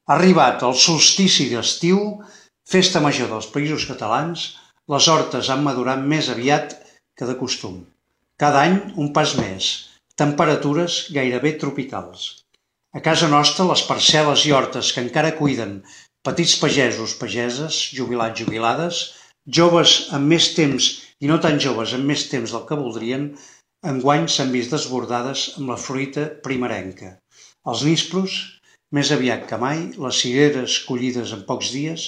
Ha arribat el solstici d'estiu, festa major dels Països Catalans, les hortes han madurat més aviat que de costum. Cada any un pas més, temperatures gairebé tropicals. A casa nostra, les parcel·les i hortes que encara cuiden petits pagesos, pageses, jubilats, jubilades, joves amb més temps i no tan joves amb més temps del que voldrien, enguany s'han vist desbordades amb la fruita primerenca. Els nispros, més aviat que mai, les cireres collides en pocs dies,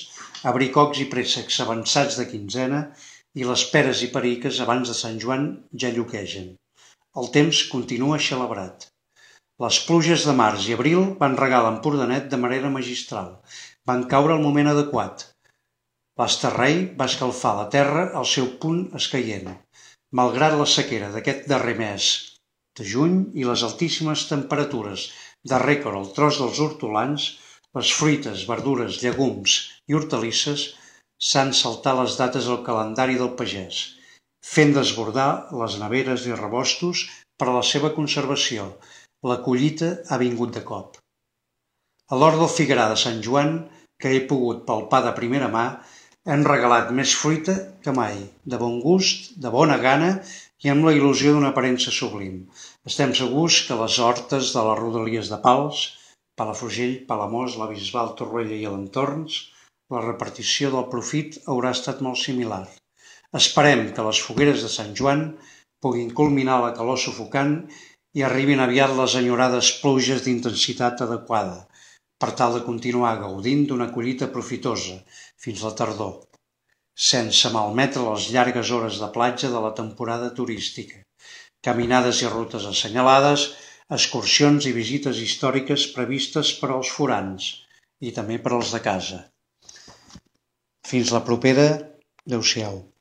abricocs i préssecs avançats de quinzena i les peres i periques abans de Sant Joan ja lluquegen. El temps continua celebrat. Les pluges de març i abril van regar l'Empordanet de manera magistral. Van caure al moment adequat. L'esterrei va escalfar la terra al seu punt escaient. Malgrat la sequera d'aquest darrer mes de juny i les altíssimes temperatures de rècord al tros dels hortolans, les fruites, verdures, llegums i hortalisses s'han saltat les dates al calendari del pagès, fent desbordar les neveres i rebostos per a la seva conservació. La collita ha vingut de cop. A l'hort del figuerar de Sant Joan, que he pogut palpar de primera mà, hem regalat més fruita que mai, de bon gust, de bona gana i amb la il·lusió d'una aparença sublim. Estem segurs que les hortes de les rodalies de Pals, Palafrugell, Palamós, la Bisbal, Torroella i l'entorns, la repartició del profit haurà estat molt similar. Esperem que les fogueres de Sant Joan puguin culminar la calor sufocant i arribin aviat les enyorades pluges d'intensitat adequada, per tal de continuar gaudint d'una collita profitosa fins la tardor, sense malmetre les llargues hores de platja de la temporada turística, caminades i rutes assenyalades, excursions i visites històriques previstes per als forans i també per als de casa. Fins la propera, adeu-siau.